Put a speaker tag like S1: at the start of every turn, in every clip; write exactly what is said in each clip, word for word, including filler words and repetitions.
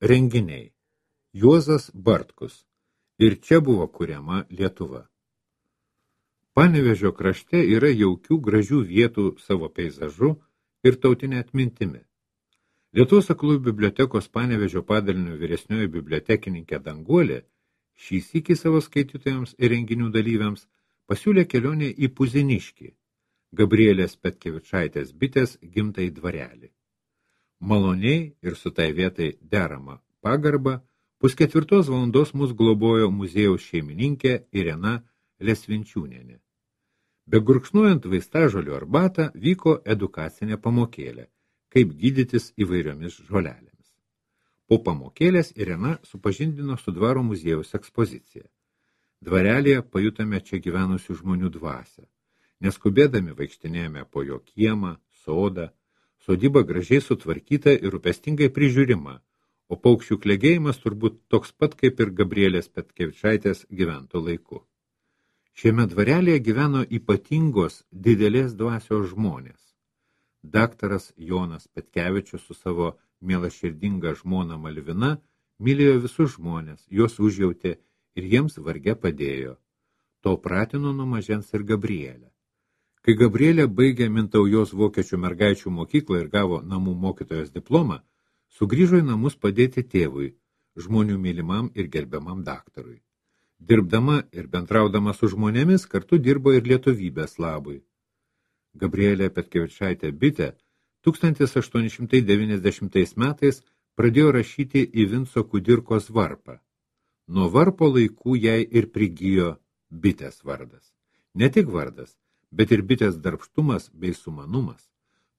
S1: Renginiai. Juozas Bartkus. Ir čia buvo kuriama Lietuva. Panevėžio krašte yra jaukių gražių vietų savo peizažu ir tautinė atmintimi. Lietuvos aklųjų bibliotekos Panevėžio padalinio vyresnioji bibliotekininkė Danguolė šį sykį savo skaitytojams ir renginių dalyviams pasiūlė kelionę į Puziniškį, Gabrielės Petkevičaitės bitės gimtai dvarelį. Maloniai ir su tai vietai derama pagarba, pusketvirtos valandos mus globojo muziejaus šeimininkė Irena Lesvinčiūnienė. Begurkšnuojant vaistažolių arbatą vyko edukacinė pamokėlė, kaip gydytis įvairiomis žolelėmis. Po pamokėlės Irena supažindino su dvaro muziejaus ekspozicija. Dvarelėje pajutame čia gyvenusių žmonių dvasią. Neskubėdami vaikštinėjame po jo kiemą, sodą, sodyba gražiai sutvarkyta ir rūpestingai prižiūrima, o paukščių klegėjimas turbūt toks pat kaip ir Gabrielės Petkevičaitės gyvento laiku. Šiame dvarelėje gyveno ypatingos didelės dvasios žmonės. Daktaras Jonas Petkevičius su savo mielaširdinga žmona Malvina mylėjo visus žmonės, juos užjautė ir jiems varge padėjo. To pratino nuo mažens ir Gabrielę. Kai Gabrielė baigė Mintaujos vokiečių mergaičių mokyklą ir gavo namų mokytojos diplomą, sugrįžo į namus padėti tėvui, žmonių mylimam ir gerbiamam daktarui. Dirbdama ir bendraudama su žmonėmis kartu dirbo ir lietuvybės labui. Gabrielė Petkevičaitė bitė tūkstantis aštuoni šimtai devyniasdešimtais metais pradėjo rašyti į Vinco Kudirkos varpą. Nuo varpo laikų jai ir prigijo bitės vardas. Ne tik vardas, bet ir bitės darbštumas bei sumanumas.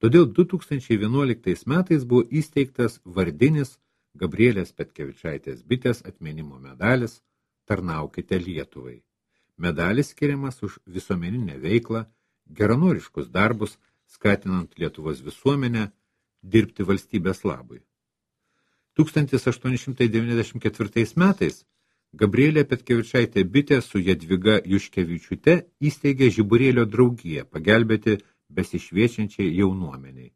S1: Todėl du tūkstančiai vienuoliktais metais buvo įsteigtas vardinis Gabrielės Petkevičaitės bitės atminimo medalis Tarnaukite Lietuvai. Medalis skiriamas už visuomeninę veiklą, geranoriškus darbus, skatinant Lietuvos visuomenę dirbti valstybės labui. tūkstantis aštuoni šimtai devyniasdešimt ketvirtais metais Gabrielė Petkevičaitė bitė su Jadviga Juškevičiūte įsteigė Žiburėlio draugiją pagelbėti besišviečiančiai jaunuomeniai.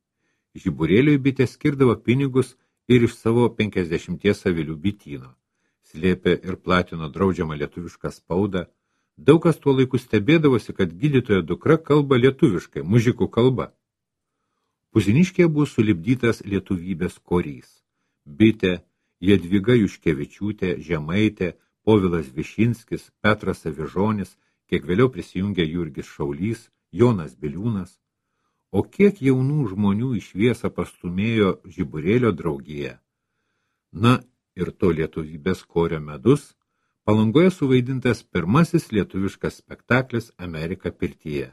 S1: Žiburėliui bitė skirdavo pinigus ir iš savo penkiasdešimties avilių bityno. Slėpė ir platino draudžiamą lietuvišką spaudą. Daug kas tuo laiku stebėdavosi, kad gydytojo dukra kalba lietuviškai, mužikų kalba. Puziniškėje buvo sulipdytas lietuvybės korys. Bitė, Jadviga Juškevičiūtė, Žemaitė, Povilas Višinskis, Petras Avižonis, kiek vėliau prisijungė Jurgis Šaulys, Jonas Biliūnas. O kiek jaunų žmonių į šviesą pastumėjo Žiburėlio draugija. Na ir to lietuvybės korio medus, Palangoje suvaidintas pirmasis lietuviškas spektaklis Amerika pirtyje.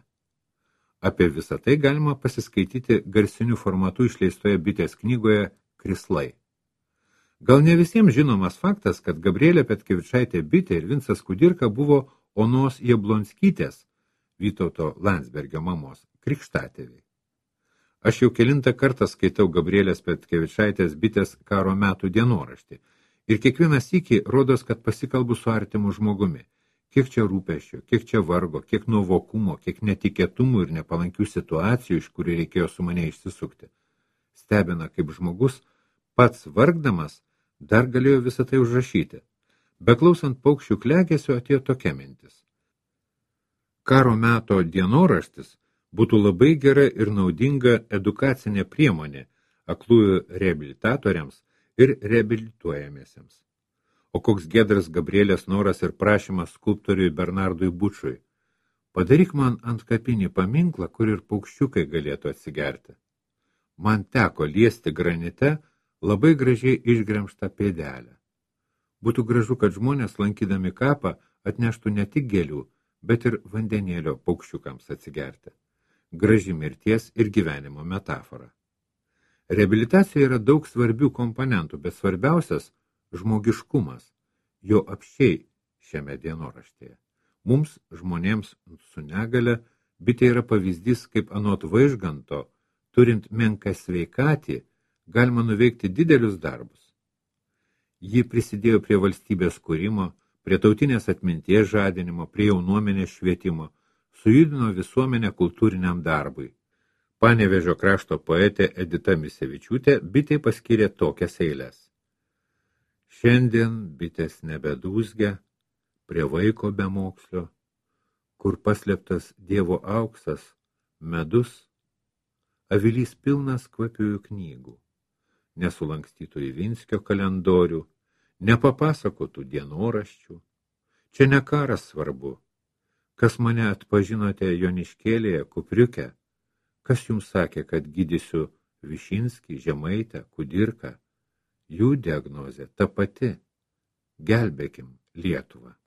S1: Apie visą tai galima pasiskaityti garsiniu formatu išleistoje bitės knygoje Krislai. Gal ne visiems žinomas faktas, kad Gabrielė Petkevičaitė bitė ir Vincas Kudirka buvo Onos Jablonskytės, Vytauto Landsbergio mamos, krikštatėviai. Aš jau kelintą kartą skaitau Gabrielės Petkevičaitės bitės karo metų dienoraštį ir kiekvieną sykį rodos, kad pasikalbu su artimu žmogumi. Kiek čia rūpesčio, kiek čia vargo, kiek nuovokumo, kiek netikėtumų ir nepalankių situacijų, iš kurių reikėjo su mane išsisukti. Stebina, kaip žmogus, pats vargdamas, dar galėjo visą tai užrašyti. Beklausant paukščių klegesio atėjo tokia mintis. Karo meto dienoraštis būtų labai gera ir naudinga edukacinė priemonė aklųjų reabilitatoriams ir reabilituojamiesiems. O koks giedras Gabrielės noras ir prašymas skulptoriui Bernardui Bučui. Padaryk man antkapinį paminklą, kur ir paukščiukai galėtų atsigerti. Man teko liesti granite labai gražiai išgremštą pėdelę. Būtų gražu, kad žmonės, lankydami kapą, atneštų ne tik gėlių, bet ir vandenėlio paukščiukams atsigerti. Graži mirties ir gyvenimo metafora. Reabilitacijoje yra daug svarbių komponentų, bet svarbiausias – žmogiškumas, jo apsčiai šiame dienoraštėje. Mums, žmonėms su negale, bitė yra pavyzdys, kaip anot Vaižganto, turint menką sveikatį, galima nuveikti didelius darbus. Ji prisidėjo prie valstybės kūrimo, prie tautinės atminties žadinimo, prie jaunuomenės švietimo, sujudino visuomenę kultūriniam darbui. Panevėžio krašto poetė Edita Misevičiūtė bitei paskyrė tokias eiles. Šiandien bitės nebedūzgia prie vaiko bemokslio, kur paslėptas Dievo auksas, medus, avilys pilnas kvapiųjų knygų, nesulankstytų į Vinskio kalendorių, nepapasakotų dienoraščių. Čia ne karas svarbu, kas mane atpažinote Joniškėlėje, Kupriuke, kas jums sakė, kad gydysiu Višinskį, Žemaitę, Kudirką, jų diagnozė ta pati, gelbėkim Lietuvą.